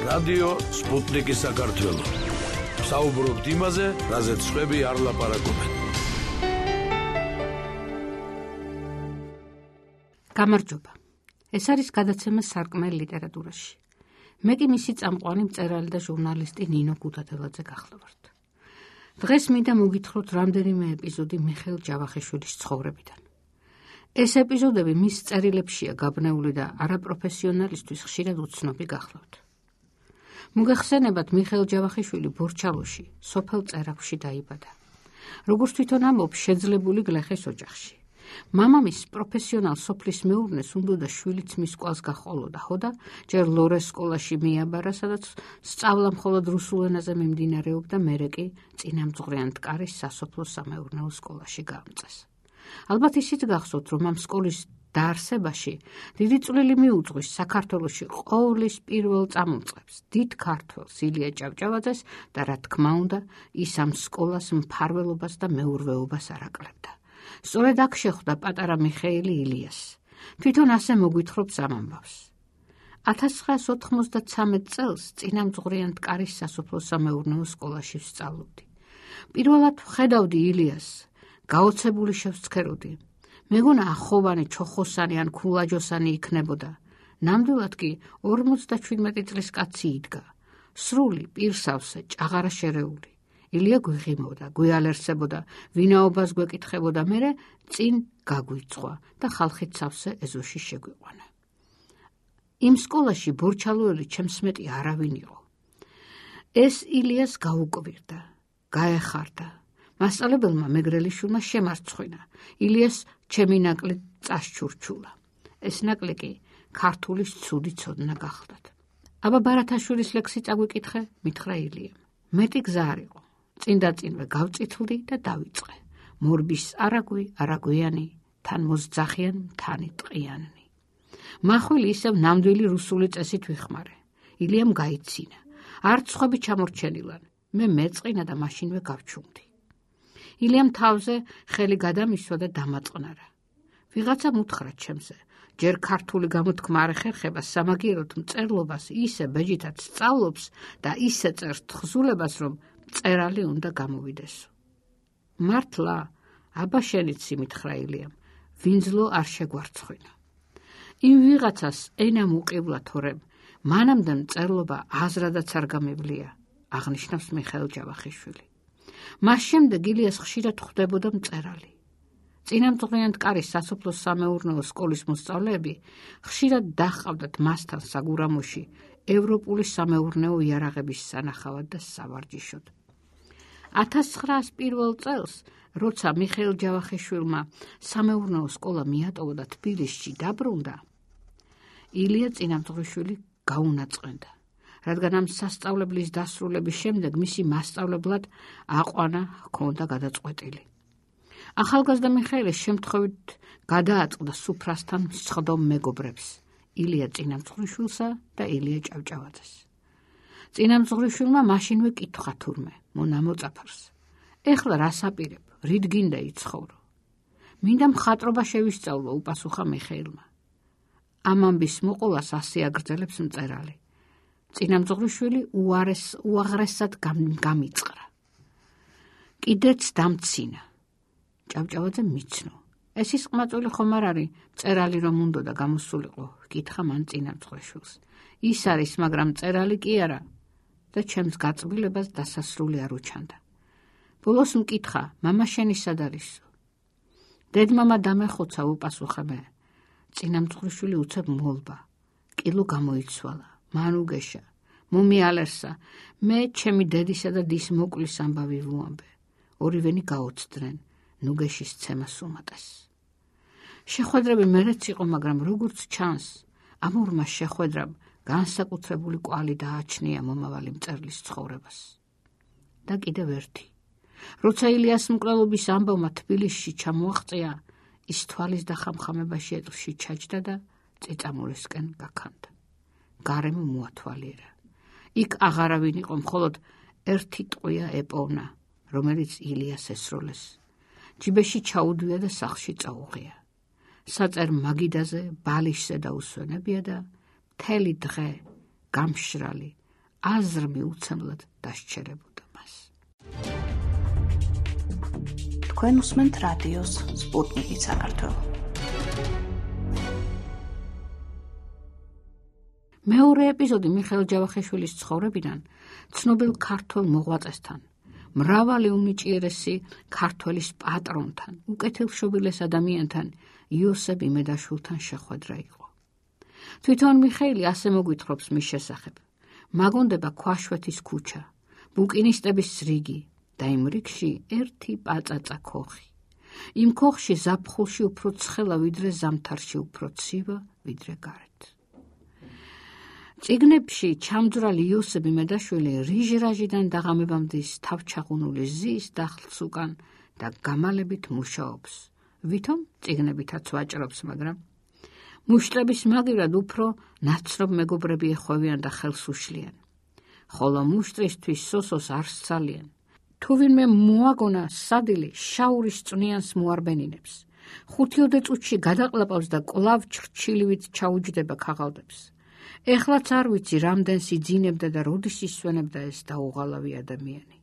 რადიო სპუტნიკი საქართველო. საუბრობთ იმაზე, რაზეც სხვები არ ლაპარაკობენ. გამარჯობა. ეს არის გადაცემა სარკმელ ლიტერატურაში. მე კი მისი წამყვანი მწერალი და ჟურნალისტი ნინო გუდადელაძე გახლავართ. დღეს მინდა მოგითხროთ რამდენიმე ეპიზოდი მიხეილ ჯავახიშვილის ცხოვრებიდან. ეს ეპიზოდები მის წერილებშია გაბნეული და არაპროფესიონალისთვის ხშირად უცნობი გახლავთ. მოგეხსენებათ, მიხეილ ჯავახიშვილი ბორჩალოში, სოფელ წერაქვში დაიბადა. როგორც თვითონ ამბობს, შეძლებული გლეხის ოჯახში. მამამის პროფესიონალ სოფლის მეურნეს უნდოდა შვილიც მის კვალს გაჰყოლოდა, და ჯერ ლორეს სკოლაში მიაბარა, სადაც სწავლა მხოლოდ რუსულ ენაზე მიმდინარეობდა, მერე კი წინამძღვრიან მტკარის სასოფლო სამეურნეო სკოლაში გაამწეს. ალბათ ისიც გახსოვთ, რომ ამ სკოლის დაარსებაში დიდი წვლილი მიუძღვის საქართველოში ყოვლის პირველ წამოწყებს, დიდ ქართველს ილია ჭავჭავაძეს და რა თქმა უნდა, ის ამ სკოლას მფარველობას და მეურვეობას არ აკლებდა. სწორედ აქ შეხვდა პატარა მიხეილი ილიას. თვითონ ასე მოგვითხრობს ამ ამბავს. 1993 წელს წინამძღვრიან მტკარის სასოფლო სამეურნეო სკოლაში ვსწავლობდი. პირველად ვხედავდი ილიას, გაოცებული შევსცქეროდი. მეგონა ახოვანი, ჩოხოსანი ან ქულაჯოსანი იქნებოდა. ნამდვილად კი 57 წლის კაცი იდგა. სრული, პირსავსე, ჭაღარა შერეული. ილია გვიღიმოდა, გვიალერსებოდა, ვინაობას გვეკითხებოდა, მერე წინ გაგვიწვა და ხალხით სავსე ეზოში შეგვიყვანა. იმ სკოლაში ბორჩალოელი ჩემს მეტი არავინ იყო. ეს ილიას გაუკვირდა, გაეხარდა. მასწავლებელმა მეგრელიშვილმა შემარცხვინა. ილიას ჩემი ნაკლი წასჩურჩულა. ეს ნაკლი კი ქართულის ცუდი ცოდნა გახლდათ. აბა ბარათაშვილის ლექსი წაგვიკითხე, მითხრა ილიამ. მეტი გზა არ იყო. წინდაწინვე გავწითლდი და დავიწყე. მორბის არაგვიანი, თან მოსძახიან მთანი ტყიანნი. მახვილი ისევ ნამდვილი რუსული წესით ვიხმარე. ილიამ გაიცინა. არც სხვები ჩამორჩენილან. მე მეწყინა და მაშინვე გავჩუმდი. ილიამ თავზე ხელი გადამისვა და დამაწყნარა. ვიღაცა მუთხრა ჩემზე. ჯერ ქართული გამოთქმა არ ეხერხება სამაგიეროდ მწერლობას ისე ბეჯითაც სწავლობს და ისე წერს თხზულებას, რომ წერალი უნდა გამოვიდესო. მართლა, აბა შენიცი, მითხრა ილიამ, ვინძლო არ შეგვარცხვინა. იმ ვიღაცას ენა მუყივლა თორემ, მანამდე მწერლობა აზრადაც არ გამევლია, აღნიშნავს მიხეილ ჯავახიშვილი. მას შემდეგ ილიას ხშირად ხვდებოდა მწერალი. წინამძღვრიან მტკარის სასოფლო სამეურნეო სკოლის მოსწავლეები ხშირად დაჰყავდათ მასთან საგურამოში ევროპული სამეურნეო იარაღების სანახავად და სავარჯიშოდ. 1901 წელს, როცა მიხეილ ჯავახიშვილმა სამეურნეო სკოლა მიატოვა და თბილისში დაბრუნდა, ილია წინამძღვრიშვილი გაუნაწყენდა, რადგან ამ სასწავლებლის დასრულების შემდეგ მისი მასწავლებლად აყვანა ჰქონდა გადაწყვეტილი. ახალგაზრდა მიხეილეს შემთხვევით გადააწყდა სუფრასთან მსხდომ მეგობრებს, ილია წინამძღვრიშვილსა და ილია ჭავჭავაძეს. წინამძღვრიშვილმა მაშინვე კითხა თურმე, მონა მოწაფარს. ეხლა რას აპირებ, რით გინდა იცხოვრო? მინდა მხატვრობა შევისწავლო, უპასუხა მიხეილმა. ამ ამბის მოყოლას ასე აგრძელებს მწერალი. წინამძღვრიშვილი უაღრესად გამიწყრა. კიდეც დამცინა. ჭავჭავაძე მიცნო. ეს ის ყმაწვილი ხომ არ არის, მწერალი რომ უნდოდა გამოსულიყო, კითხა მან წინამძღვრიშვილს. ის არის, მაგრამ მწერალი კი არა და ჩემს გაწბილებას დასასრული არ უჩანდა. ბოლოს მკითხა, მამა შენი სად არისო? დედმამა დამეხოცა, უპასუხა მე. წინამძღვრიშვილი უცებ მოლბა. კილო გამოიცვალა, მან უგეშა, მომიალერსა. მე ჩემი დედისა და დის მოკლის ამბავი ვუამბე. ორივენი გაოცდნენ, ნუგეშის ცემას უმატეს. შეხვედრები მერეც იყო, მაგრამ როგორც ჩანს, ამ ორმა შეხვედრამ განსაკუთრებული კვალი დააჩნია მომავალი მწერლის ცხოვრებას. და კიდევ ერთი. როცა ილიას მკვლელობის ამბავმა თბილისში ჩამოაღწია, ის თვალის დახამხამებაში ეტლში ჩაჯდა და წიწამურისკენ გაქანდა. გარემო მოათვალიერა. იქ აღარავინ იყო, მხოლოდ ერთი ტყვია ეპოვნა, რომელიც ილიას ესროლეს. ჯიბეში ჩაუდვია და სახლში წაუღია. საწერ მაგიდაზე ბალიშზე დაუსვენებია და მთელი დღე გამშრალი, აზრმი უცემლად დასჩერებოდა მას. თქვენ უსმენთ რადიოს სპუტნიკი საქართველო. მეორე ეპიზოდი მიხეილ ჯავახიშვილის ცხოვრებიდან ცნობილ ქართველ მოღვაწესთან, მრავალი უნიჭიერესი ქართველის პატრონთან, უკეთილშობილეს ადამიანთან, იოსებ იმედაშვილთან შეხვედრა იყო. თვითონ მიხეილი ასე მოგვითხრობს მის შესახებ: მაგონდება ქვაშვეთის ქუჩა, ბუკინისტების რიგი და იმ რიგში ერთი პაწაწა ქოხი. იმ ქოხში ზაფხულში უფრო ცხელა, ვიდრე ზამთარში უფრო ცივა, ვიდრე გარეთ. წიგნებში ჩამძვრალი იოსებ იმედაშვილი რიჟრაჟიდან დაღამებამდე თავჩაღუნული ზის დახლს უკან და გამალებით მუშაობს. ვითომ წიგნებითაც ვაჭრობს, მაგრამ მუშტრების მაგივრად უფრო ნაცნობ მეგობრები ეხვევიან და ხელს უშლიან. ხოლო მუშტრისთვის სოსოს არ სცალიან. თუ ვინმე მოაგონა სადილი, შაურის წვნიანს მოარბენინებს. 5 წუთში გადაყლაპავს და კვლავ ჩრჩილივით ჩაუჯდება ქაღალდებს. ეხლაც არ ვიცი, რამდენს იძინებდა და როდის ისვენებდა ეს დაუღალავი ადამიანი.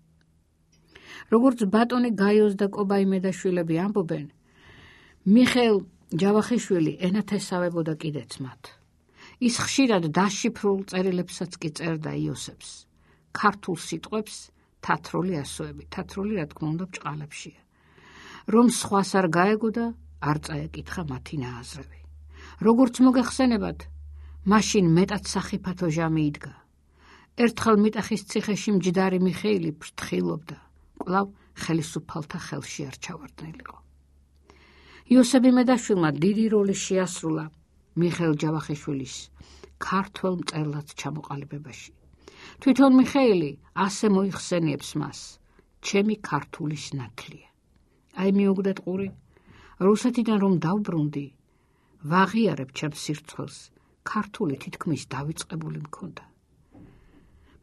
როგორც ბატონი გაიოს და კობა იმედაშვილები ამბობენ, მიხეილ ჯავახიშვილი ენათესავებოდა კიდეც მათ. ის ხშირად დაშიფრულ წერილებსაც კი წერდა იოსებს. ქართულ სიტყვებს თათრული ასოები, თათრული რა თქმა უნდა ბჭყალებშია. რომ სხვას არ გაეგოდა, არ წაეკითხა მათი ნააზრევი. როგორც მოგეხსენებათ, მაშინ მეტად სახიფათო ჟამი იდგა. ერთხელ მიტახის ციხეში მჯდარი მიხეილი ფრთხილობდა, კვლავ ხელისუფალთა ხელში არ ჩავარდნილიყო. იოსებ იმედაშვილმა დიდი როლი შეასრულა მიხეილ ჯავახიშვილის ქართველ მწერლად ჩამოყალიბებაში. თვითონ მიხეილი ასე მოიხსენიებს მას: ჩემი ქართულის ნათლია. აი მიუგდეთ ყური, რუსეთიდან რომ დავბრუნდი, ვაღიარებ ჩემს სირცხვილს, ქართული თითქმის დავიწყებული მქონდა.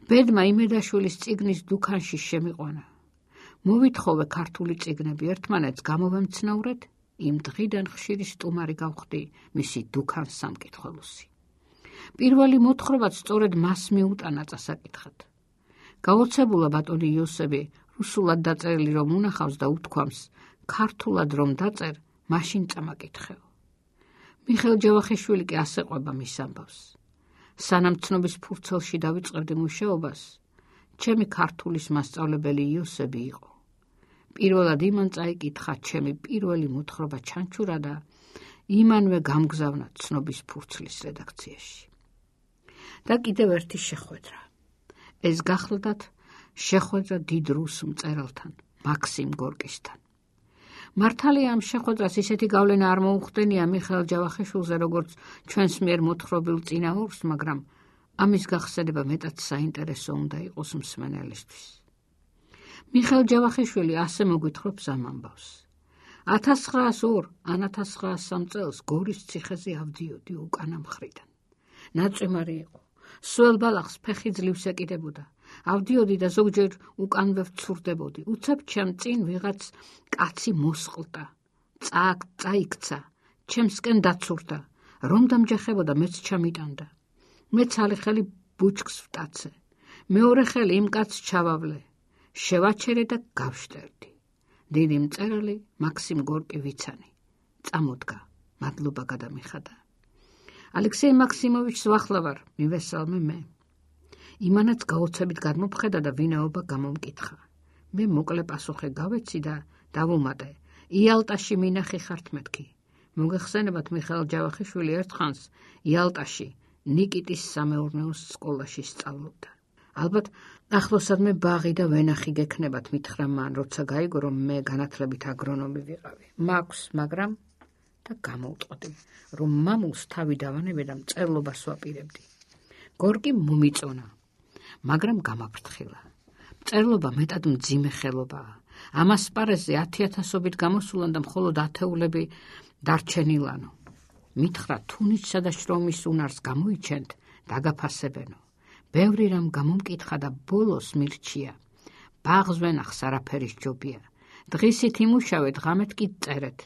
ბედმა იმედაშვილის წიგნის დუქანში შემიყვანა. მოვითხოვე ქართული წიგნები, ერთმანეთს გამოვემცნავრეთ, იმ დღიდან ხშირი სტუმარი გავხდი მისი დუქანს სამკითხველოსი. პირველი მოთხრობაც სწორედ მას მიუტანა წასაკითხად. გაოცებულა ბატონი იოსები რუსულად დაწერილი რომ უნახავს და უთქვამს, ქართულად რომ დაწერ, მაშინ წამაკითხეო. მიხეილ ჯავახიშვილი კი ასე ყვება მის ამბავს: სანამ ცნობის ფურცელში დავიწყებდი მუშაობას, ჩემი ქართულის მასწავლებელი იოსები იყო. პირველად იმან წაიკითხა ჩემი პირველი მოთხრობა ჩანჩურა და იმანვე გამგზავნა ცნობის ფურცლის რედაქციაში. და კიდევ ერთი შეხვედრა. ეს გახლდათ შეხვედრა დიდ რუს მწერალთან, მაქსიმ გორკისთან. მართალია ამ შეხვედრას ისეთი გავლენა არ მოუხდენია მიხეილ ჯავახიშვილზე, როგორც ჩვენს მიერ მოთხრობილ წინაურს, მაგრამ ამის გახსენება მეტად საინტერესო უნდა იყოს მსმენელისთვის. მიხეილ ჯავახიშვილი ასე მოგვითხრობს ამ ამბავს: 1902-1903 წელს გორის ციხეზე ავდიოდი უკანა მხრიდან. ნაწვიმარი იყო. სველ ბალახს ფეხი ძლივს ეკიდებოდა. ავდიოდი და ზოგჯერ უკანვე ვცურდებოდი. უცებ ჩემ წინ ვიღაც კაცი მოსყლდა. წაიქცა, ჩემსკენ დაცურდა. რომ დამჯახებოდა, მეც ჩამიტანდა. მე ცალი ხელი ბუჩქს ვტაცე. მეორე ხელი იმ კაცს ჩავავლე. შევაჩერე და გავშტერდი. დიდი მწერალი მაქსიმ გორკი ვიცანი. წამოდგა, მადლობა გადამიხადა. ალექსეი მაქსიმოვიჩს ვახლავარ, მივესალმე მე. იმანაც გაოცებით გადმოფხედა და ვინაობა გამომკითხა. მე მოკლე პასუხი გავეცი და დავუმატე: იალტაში მინახი ხართ მეთქი. მოგეხსენებათ, მიხეილ ჯავახიშვილი ერთხანს იალტაში ნიკიტის სამეურნეო სკოლაში სწავლობდა. ალბათ ახლოსადმე ბაღი და ვენახი გექნებათ, მითხრა მან, როცა გაიგო, რომ მე განათლებით აგრონომი ვიყავი. მაქვს, მაგრამ და გამოუტყდი, რომ მამულს თავი დავანებე და მწერლობას ვაპირებდი. გორკი მომიწონა, მაგრამ გამაფრთხილა. მწერლობა მეტად მძიმე ხელობაა. ამას პარეზზე 10,000-ობით გამოსულან და მხოლოდ ათეულები დარჩენილანო. მითხრა, თუნიჩსა და შრომის უნარს გამოიჩენთ, დაგაფასებენო. ბევრი რამ გამომკითხა და ბოლოს მირჩია: ბაღს ვენახს არაფერის ჯობია. დღისით იმუშავეთ, ღამეთ კი წერეთ.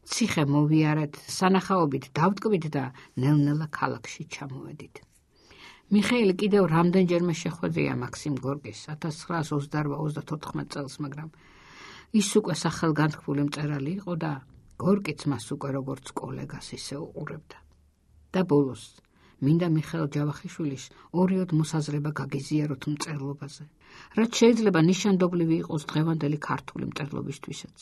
ციხე მოვიარეთ, სანახაობით დავტკბით და ნელ-ნელა ქალაქში ჩამოვედით. მიხეილი კიდევ რამდენჯერმე შეხვედრია მაქსიმ გორკის 1928 წელს, მაგრამ ის უკვე სახელგანთქმული მწერალი იყო და გორკიც მას უკვე როგორც კოლეგას ისე უყურებდა. და ბოლოს მინდა მიხეილ ჯავახიშვილის ორიოდ მოსაზრება გაგიზიაროთ მწერლობაზე, რაც შეიძლება ნიშანდობლივი იყოს დღევანდელი ქართული მწერლობისთვისაც.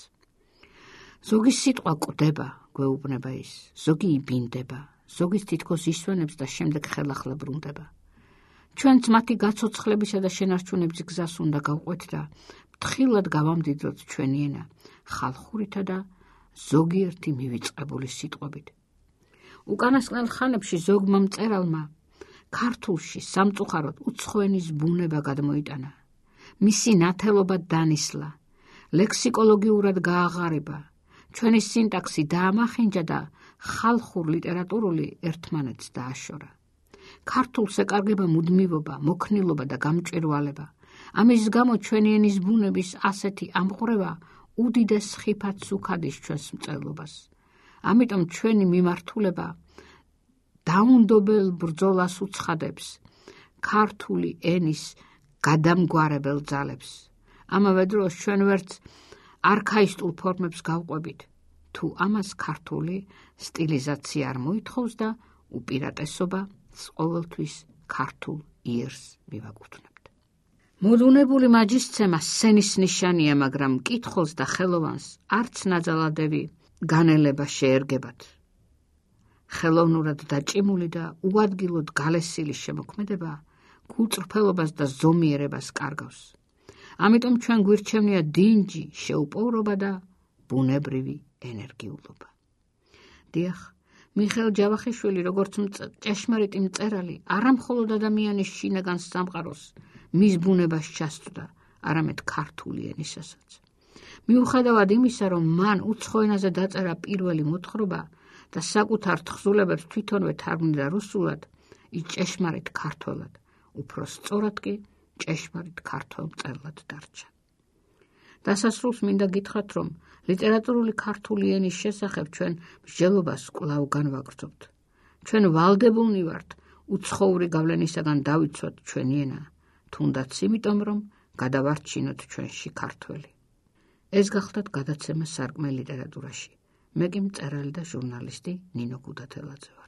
ზოგი სიტყვა კვდება, გვეუბნება ის, ზოგი იბინდება, ზოგის თითქოს ისვენებს და შემდეგ ხელახლა ბრუნდება. ჩვენც მათი გაცოცხლებისა და შენარჩუნების გზას უნდა გავყვეთ და ფრთხილად გავამდიდროთ ჩვენი ენა ხალხურითა და ზოგიერთი მივიწყებული სიტყვებით. უკანასკნელ ხანებში ზოგმა მწერალმა ქართულში სამწუხაროდ უცხოენის ბუნება გადმოიტანა. მისი ნათელობა დანისლა, ლექსიკოლოგიურად გააღარება, ჩვენი სინტაქსი დაამახინჯა და ხალხურ ლიტერატურული ერთმანეთს დააშორა. ქართულს ეკარგება მუდმივობა, მოქნილობა და გამჭვირვალება. ამის გამო ჩვენი ენის ბუნების ასეთი ამყვრევა უდიდეს ხიფათს უქადის ჩვენს მწერლობას. ამიტომ ჩვენი მიმართულება დაუნდობელ ბრძოლას უცხადებს ქართული ენის გადამგვარებელ ძალებს. ამავე დროს ჩვენ ვერც არქაისტულ ფორმებს გავყვებით, თუ ამას ქართული სტილიზაცია არ მოითხოვს და უპირატესობა ყოველთვის ქართულ იერს მივაკუთვნებთ. მოდუნებული მაჯისცემა სცენის ნიშანია, მაგრამ მკითხველს და ხელოვანს არც ნაძალადევი განელება შეერგებათ. ხელოვნურად დაჭიმული და უადგილოდ გალესილი შემოქმედება გულწრფელობას და ზომიერებას კარგავს. ამიტომ ჩვენ გვირჩევნია დინჯი, შეუპოვრობა და ბუნებრივი ენერგიულობა. დიახ, მიხეილ ჯავახიშვილი როგორც ჭეშმარიტი მწერალი არამხოლოდ ადამიანის შინაგან სამყაროს მის ბუნებას ჩასწვდა, არამედ ქართული ენისასაც. მიუხედავად იმისა, რომ მან უცხო ენაზე დაწერა პირველი მოთხრობა და საკუთარ თხზულებებს თვითონვე თარგმნიდა რუსულად, ის ჭეშმარიტ ქართველად, უფრო სწორად კი ჭეშმარიტ ქართველ მწერლად დარჩა. დასასრულს მინდა გითხრათ, რომ ლიტერატურული ქართული ენის შესახებ ჩვენ მსჯელობას კვლავ განვაგრძობთ. ჩვენ ვალდებულნი ვართ უცხოური გავლენისაგან დავიცვათ ჩვენი ენა, თუნდაც იმიტომ, რომ გადავარჩინოთ ჩვენში ქართველი. ეს გახლდათ გადაცემა სარკმე ლიტერატურაში. მე კი მწერალი და ჟურნალისტი ნინო გუდათელაძე ვარ.